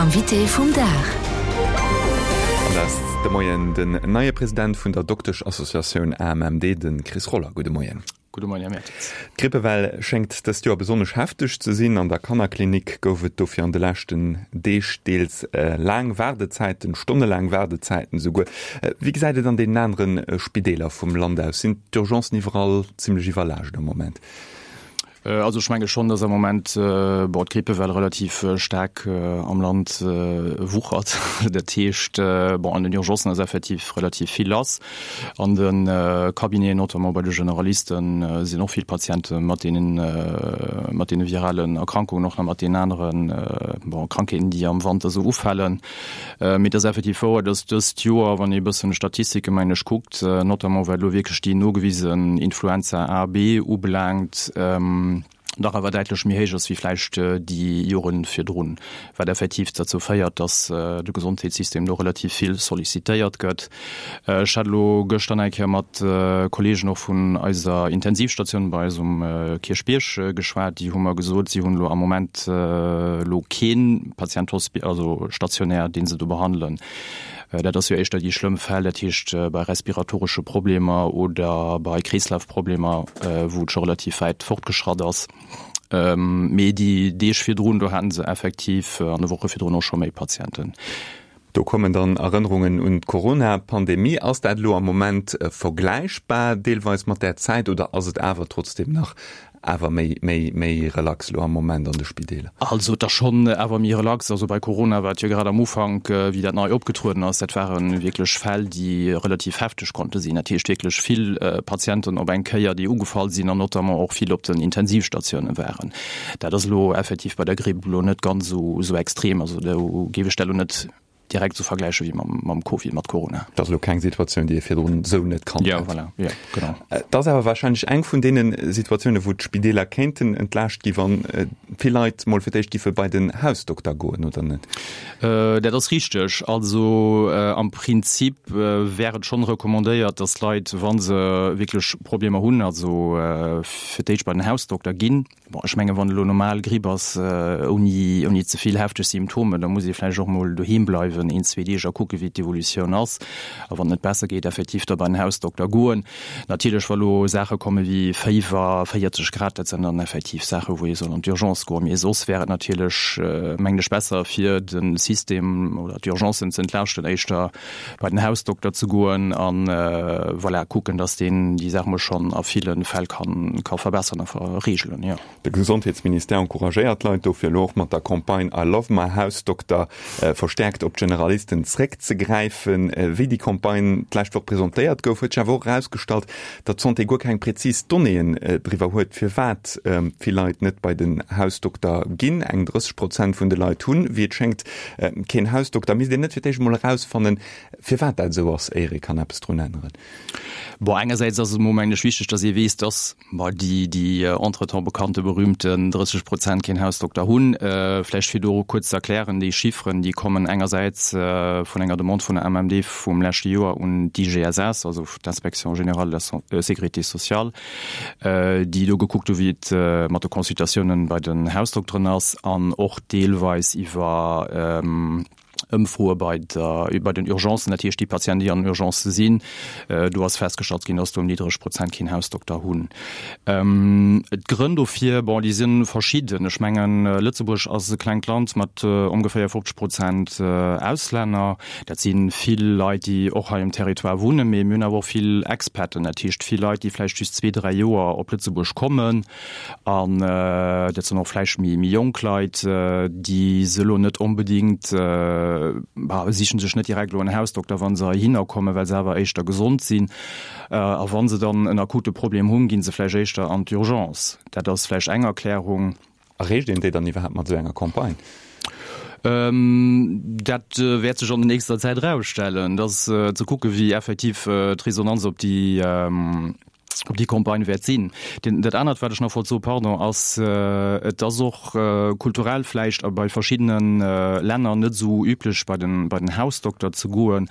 Invité vum Dag. An dat ass de Moien den neie President vun der Dokteschassociatioun AMMD, de Chris Roller. Gudde Moien. Gudde Moien, Här Mertens. D'Grippewell schéngt dëst Joer besonnesch hefteg ze sinn. An der Kannerklinik gouf et dofir an de leschten Deeg deels laang Waardezäiten, stonnelaang Waardezäiten esouguer. Wéi gesäit et an deenen anere Spideeler vum Land aus? Sinn d'Urgencen iwwerall zimmlech iwwerlaascht am Moment? Also ech menge schonn, datt am Moment, bon, d'Grippewell relativ staark am Land wuchert. Dat heescht, bon, an den Urgencen ass effektiv relativ vill lass. An de Cabineten, notamment bei de Generalisten, sinn och vill Patiente mat deenen, mat deene viralen Erkrankungen, och nach mat deenen aneren, bon, Krankheeten, déi am Wanter esou ufalen. Mee et ass effektiv wouer, dass dëst Joer, wann ee e bëssen d'Statistike mengen ech kuckt, notamment wat elo wierklech déi nogewisen Influenza A, B ubelaangt, dach awer däitlech méi héich ass wéi vläicht déi Jore virdrun, wat effektiv derzou féiert, dass de Gesondheetssystem do relativ vill sollicitéiert gëtt. Ech hat elo gëschter nach eng Kéier mat Kolleegen och vun eiser Intensivstatioun bei eis um Kierchbierg geschwat. Déi hu mer gesot, si hunn elo am Moment elo kee Patient hospi-, also stationär, dee se do behandelen. Dat ass jo éischter déi schlëmm Fäll, dat heescht bei respiratoresche Problemer oder bei Kreeslafproblemer, wou et scho relativ wäit fortgeschratt ass. Mee déi Deeg virdrun, do haten se effektiv an de Woche virdrun och scho méi Patienten. Do kommen dann Erënnerungen un d'Corona-Pandemie. Ass dat elo am Moment vergläichbar deelweis mat där Zäit oder ass et awer trotzdeem nach awer méi, méi, méi relax elo am Moment an de Spideeler? Also et ass schonn awer méi relax. Also bei Corona war et jo grad am Ufank, wéi dat nei opgetrueden ass, dat ware wierklech Fäll, déi relativ hefteg konnte sinn. Dat heescht wierklech vill Patienten op eng Kéier, déi ugefall sinn an notamment och vill op den Intensivstatioune waren. Dat ass elo effektiv bei der Gripp elo net ganz esou extrem. Also do géif ech dat elo net direkt esou vergläiche wéi mam Covid, mat Corona. Dat ass elo keng Situatioun, déi ee virdrun esou net kannt hätt. Jo, voilà, jo, genau. Et ass awer warscheinlech eng vun deene Situatiounen, wou d'Spideeler kéinten entlaascht gi wann vill Leit mol fir d'éischt giffe bei den Hausdokter goen, oder net? Dat ass richteg. Also am Prinzip wär et schonn recommandéiert, datt Leit, wa se wierklech Problemer hunn, also fir d'éischt bei den Hausdokter ginn. Bon, ech mengen, wann elo normal Gripp ass, ouni, ouni ze vill hefteg Symptomen, da muss ee vläicht och mol doheem bleiwen een, zwee Deeg a kucke wéi d'Evolutioun ass. A wann et net besser geet, effektiv da bei den Hausdokter goen. Natierlech, wa lo Saache komme wéi Féiwer, 40 Grad, dat sinn dann effektiv Saache wou ee soll an d'Urgence goen. Mee soss wär et natierlech, mengen ech, besser fir de System oder d'Urgencen ze entlaaschten, éischter bei den Hausdokter ze goen an voilà kucken, dass deen déi Saach mol schonn a ville Fäll kann ka verbessern a reegelen, jo. De Gesondheetsministère encouragéiert d'Leit dofir elo och mat der Campagne I love my Hausdokter verstäerkt op d'Generalisten zréckzegräifen. Wéi déi Campagne d'lescht Woch presentéiert gouf, huet sech awer och erausgestallt, datt d'Santé guer keng präzis Donnéeën driwwer huet, firwat vill Leit net bei den Hausdokter ginn. Eng 30 Prozent vun de Leit hunn, wéi et schéngt, Keen Hausdokter. Misst een net fir d'éischt emol erausfannen, firwat dat esou ass, éier ee kann eppes drun änneren? Bon, engersäits ass et emol, mengen ech, wichteg, datt ee weess, datt, bon, déi, déi entretemps bekannte berühmten 30 Prozent keen Hausdokter hunn. Vläicht fir do kuerz ze erklären, déi Chifferen, déi kommen engersäits vun enger Demande vun der MMD vum leschte Joer un d'IGSS, also d'Inspection générale de la sécurité sociale, déi do gekuckt hu wéi et mat de Consultatiounen bei den Hausdokteren ass an och deelweis iwwer Ëmfroe bei der, bei den Urgencen, dat heescht déi Patienten, déi an den Urgencë sinn. Do ass festgestallt ginn, dass do en niddreg Prozent keen Hausdokter hunn. D'Grënn dofir, bon, déi si verschidden. Ech mengen, Lëtzebuerg ass e klengt Land mat ongeféier 50 Prozent Auslänner. Dat si vill Leit, déi och hei um Territoire wunnen, mee mir hunn awer och vill Expaten, dat heescht vill Leit, déi vläicht just zwee, dräi Joer op Lëtzebuerg kommen. An dat sinn och vläicht méi jonk Leit, déi se elo net onbedéngt, bah, sichen sech net direkt elo en Hausdokter, wa se heihinner kommen, well se awer éischter gesond sinn. A wa se dann en akute Problem hunn, gi se vläicht éischter an d'Urgence. Dat ass vläicht eng Erklärung. Erreecht een déi dann iwwerhaapt mat esou enger Campagne? Dat wäert sech an der nächster Zäit erausstellen. Et ass ze kucken, wéi effektiv d'Resonanz op déi. Op déi Campagne wäert sinn. Deen, dat anert, wat ech nach wollt soen, pardon, ass, et ass och kulturell vläicht a bei verschiddene Länner net esou üblech, bei den, bei den Hausdokter ze goen,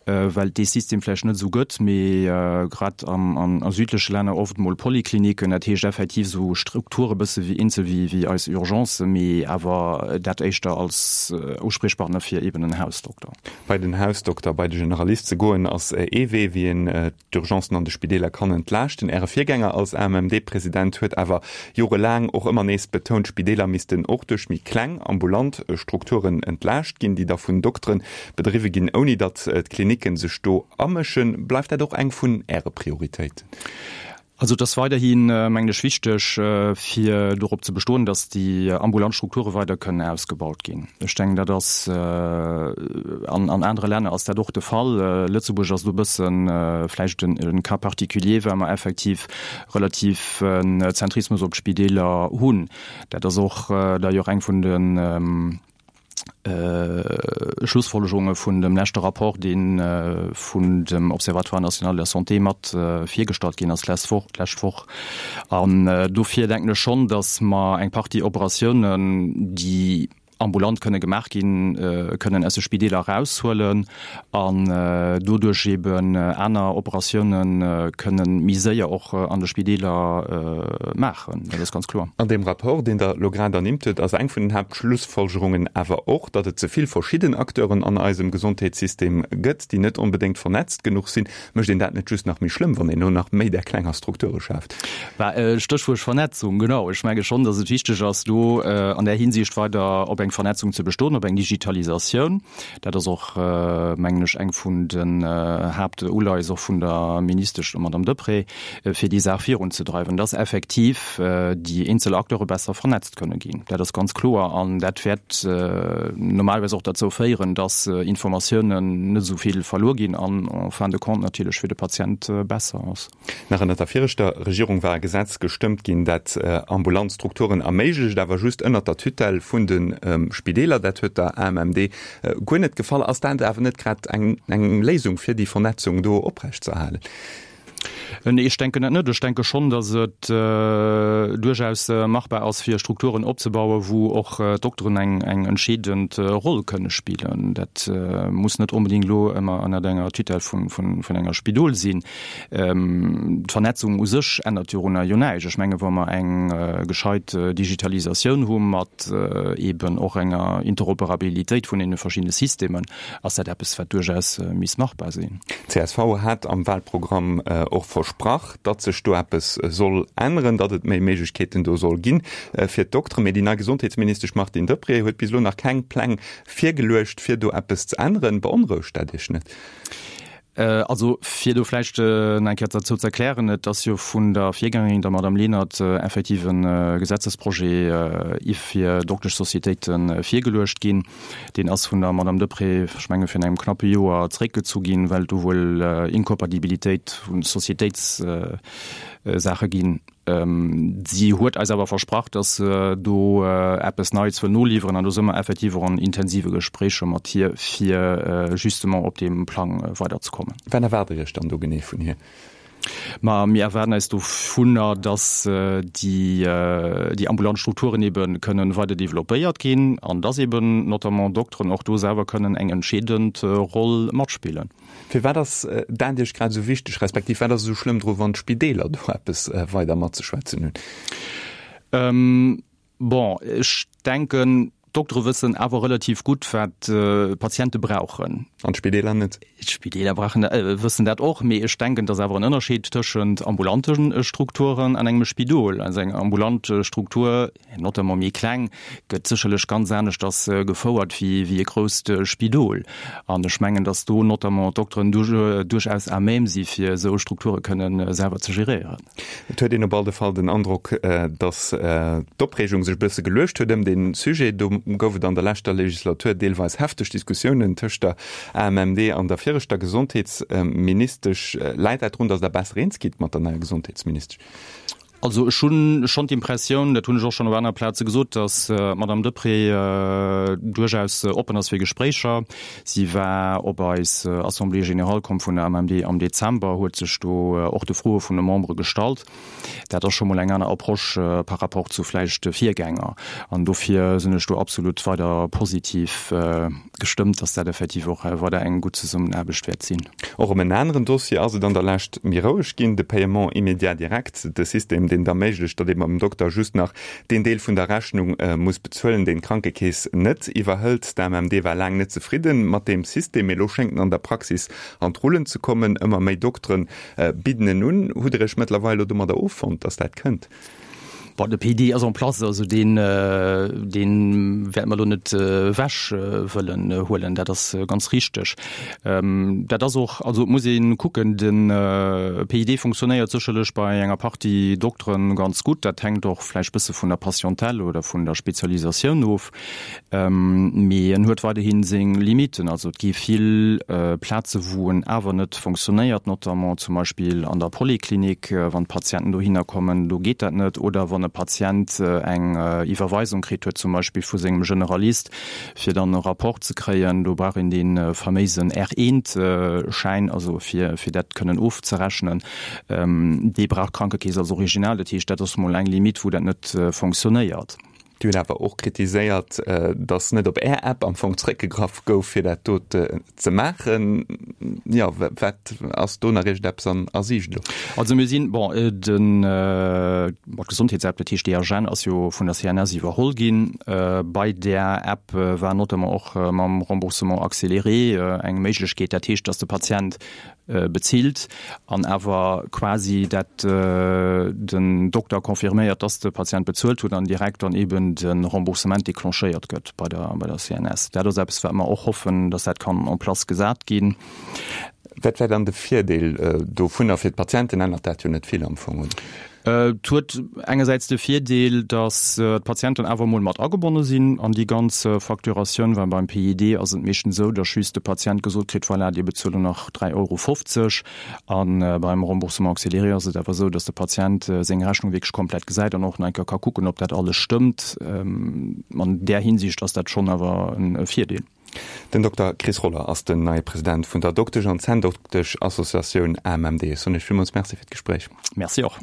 well et dee System vläicht net esou gëtt, mee grad am, an a südleche Länner oft emol Polykliniken, dat heescht effektiv esou Strukture bësse wéi eenzel wéi, wéi eis Urgencen, mee awer dat éischter als Uspriechpartner fir eben en Hausdokter. Bei den Hausdokter, bei de Generalist ze goen, ass ee Wee, wéi een d'Urgencen an de Spideeler kann entlaaschten. Äre Virgänger als AMMD-President huet awer jorelaang och ëmmer nees betount, d'Spideeler missten och duerch méi kleng ambulant Strukturen entlaascht ginn, déi da vun Doktere bedriwwe ginn, ouni datt d'Klinicken sech do amëschen. Bleift dat och eng vun Äre Prioritéiten? Also et ass weiderhi mengen ech wichteg, fir dorop ze bestoen, datt déi ambulant Strukture weider kënnen ausgebaut ginn. Ech denken, dat ass an an anere Länner ass dat och de Fall. Lëtzebuerg ass do e bësse vläicht en Cas particulier, well mer effektiv relativ en Zentrismus op d'Spideeler hunn. Dat ass och d'ailleurs eng vun de Schlussfolgerunge vun dem leschte Rapport, dee vun dem Observatoire national de la santé mat virgestallt ginn ass d'lescht Woch, d'lescht Woch. An dofir denken ech schonn, datt mer eng Partie Operatiounen, déi ambulant kënne gemaach ginn, kënnen aus de Spideeler eraushuelen an doduerch eeben aner Operatioune kënnen méi séier och an de Spideeler maachen. Dat ass ganz kloer. An deem Rapport, deen Der elo grad ernimmt hutt, ass eng vun den Haaptschlussfolgerungen awer och, datt et ze vill verschidden Acteuren an eisem Gesondheetssystem gëtt, déi net onbedéngt vernetzt genuch sinn. Mécht een dat net just nach méi schlëmm, wann een elo nach méi där klenger Strukture schaaft? Stéchwuert Vernetzung, genau. Ech menge schonn, datt et wichteg ass, do an där Hinsicht weider op eng Vernetzung ze bestoen, op eng Digitalisatioun. Dat ass och, mengen ech, eng vun den Haaptuleies och vun der Ministesch, der Madame Deprez, fir déi Saach virunzedreiwen, dass effektiv déi eenzel Acteure besser vernetzt kënne ginn. Dat ass ganz kloer an dat wäert normalerweis och derzou féieren, dass Informatiounen net esou vill verluer ginn an en fin de compte natierlech fir de Patient besser ass. Nach ënnert der viregter Regierung war e Gesetz gestëmmt ginn, dat ambulant Strukturen erméiglecht, awer just ënnert der Tutelle vun de Spideeler. Dat huet der AMMD guer net gefall. Ass dat awer net grad eng Léisung, fir déi Vernetzung do oprechtzeerhalen? Nee, ech denken dat net. Ech denke schonn, datt et duerchaus machbar ass, fir Strukturen opzebauen, wou och d'Dokteren eng eng entscheedend Roll kënne spillen. Dat muss net onbedéngt elo ëmmer ënnert enger Tutelle vun vun vun enger Spidol sinn. D'Vernetzung u sech ännert dorunner jo näischt. Ech menge wa mer eng gescheit Digitalisatioun hu mat eeben och enger Interoperabilitéit vun deene verschiddene Systemen, ass dat eppes, wat duerchaus misst machbar sinn. Csv hat am Wahlprogramm och versprach, datt sech do eppes soll änneren, datt et méi Méiglechkeeten do soll ginn fir d'Dokteren. Mee déi nei Gesondheetsministesch Martine Deprez huet bis elo nach keng Pläng virgeluecht, fir do eppes ze änneren. Beonrouegt dat Iech net? Also fir do vläicht nach eng Kéier derzou ze erklären, Et ass jo vun der Virgängerin, der Madame Lenert, effektiv e Gesetzesprojet fir Dokteschsocietéite virgeluecht ginn. Deen ass vun der Madame Deprez, ech menge virun engem knappe Joer, zeréckgezu ginn, well do wuel Incompatibilitéit vu Societéitssaache ginn. Si huet eis awer versprach, datt se do eppes Neits wëll noliwweren an do si mer effektiv och an intensive Gespréicher mat hir, fir justement op deem Plang weiderzekommen. Wat erwaart Der Iech dann do genee vun hir? Ma mir erwaarden eis dovunner, datt déi ambulant Strukturen ebe kënnen weider developpéiert ginn an datt eben notamment Dokteren och do selwer kënnen eng entscheedend Roll matspillen. Firwat ass dat Iech grad esou wichteg, respektiv wat ass esou schlëmm dru wann d'Spideeler do eppes weider matzeschwätzen hunn? Bon, ech denken, d'Doktere wëssen awer relativ gutt, wat d'Patiente brauchen. An d'Spideeler net? D'Spideeler brauchen, wëssen dat och, mee ech denken, et ass awer en Ënnerscheed tëschent ambulante Strukturen an engem Spidol. Also eng ambulant Struktur, notamment méi kleng, gëtt sécherlech ganz aneschters gefouert wéi wéi e grousst Spidol. An ech mengen, datt do notamment d'Dokteren duerchaus à même si fir esou Strukture kënnen selwer ze geréieren. Et huet een op all de Fall den Androck, datt d'Opreegung sech e bësse geluecht huet ëm dee Sujet. Do gouf et an der leschter Legislatur deelweis hefteg Diskussiounen tëscht der AMMD an der viregter Gesondheetsministesch. Läit dat drun, datt Der besser eens gitt mat der neier Gesondheetsministesch? Also ech hu schonn d'Impressioun, dat hunn ech och schonn op anere Plaze gesot, datt d'Madame Deprez duerchaus oppen ass fir Gespréicher. Si war op eis Assemblée générale komm vun der AMMD am Dezember, huet sech do och de Froe vun de Membere gestallt. Dat ass scho mol eng aner Approche par rapport zu vläicht de Virgänger. An dofir sinn ech do absolut weider positiv gestëmmt, datt dat effektiv och weider eng gutt Zesummenaarbecht wäert sinn. Och ëm en aneren Dossier ass et an der Lescht méi roueg ginn, de Paiement immédiat direct, de System, deen et erméiglecht, datt ee beim Dokter just nach deen Deel vun der Rechnung muss bezuelen, deen d'Krankekeess net iwwerhëlt. D'AMMD war laang net zefridde mat deem System, mee elo schéngt en an der Praxis an d'Rullen ze kommen. Ëmmer méi Doktere bidden en un. Hutt Der Iech mëttlerweil elo domadder offonnt, datt dat kënnt? Bon, de PD ass en place, also deen, dee wäerte mer elo net ewech wëllen huelen, dat ass ganz richteg. Dat ass och, also et muss ee kucken, de PID funktionéiert sécherlech bei enger Partie Doktere ganz gutt, dat hänkt och vläicht bësse vun der Patientèle oder vun der Spezialisatioun of. Mee en huet weiderhi seng Limiten. Also et gi vill Plaze wou en awer net fonctionnéiert, notamment zum Beispill an der Poliklinik, wann d'Patienten dohinner kommen, do geet dat net. Oder wann e Patient eng Iwwerweisung kritt huet, zum Beispill vu sengem Generalist, fir dann e Rapport ze kréien, do brauch een dee faméisen R-eent-Schäin, also fir dat kënnen ofzerechnen. Dee brauch d'Krankekeess als Original. Dat heescht, dat ass mol eng Limite, wou dat net fonctionnéiert. Dir hutt awer och kritiséiert, datt net op Är App am Fong zréckgegraff gouf, fir dat do ze maachen. Jo, wat ass do nach iergendeppes an a Siicht elo? Also mir sinn, bon, den, bon, d'Gesondheetsapp, dat heescht DHN, ass jo vun der CNS iwwerholl ginn. Bei där App war notamment och mam Remboursement accéléré eng Méiglechkeet, dat heescht, datt de Patient bezilt an awer quasi dat den Dokter confirméiert, dass de Patient bezuelt huet an direkt dann eben de Remboursement déclenchéiert gëtt bei der, bei der CNS. Dat ass eppes, wat mer och hoffen, dass dat kann en place gesat ginn. Wat wär dann de Virdeel dovunner? Fir d'Patienten ännert dat jo net vill am Fong, oder? Et huet engersäits de Virdeel, datt d'Patienten awer emol mat agebonne sinn an déi ganz Facturatioun, well beim PID ass et meeschtens esou, datt just de Patient gesot kritt, voilà, Dir bezuelt elo nach 3,50 Euro. A beim Remboursement accéléré ass et awer esou, datt de Patient seng Rechnung wierklech komplett gesäit an och nach eng Kéier ka kucken, ob dat alles stëmmt. An där Hinsicht ass dat schonn awer e Virdeel. Den Dokter Chris Roller ass den neie President vun der Doktesch an Zänndoktesch-Associatioun AMMD. Ech soen Iech villmools Merci fir d'Gespréich. Merci och.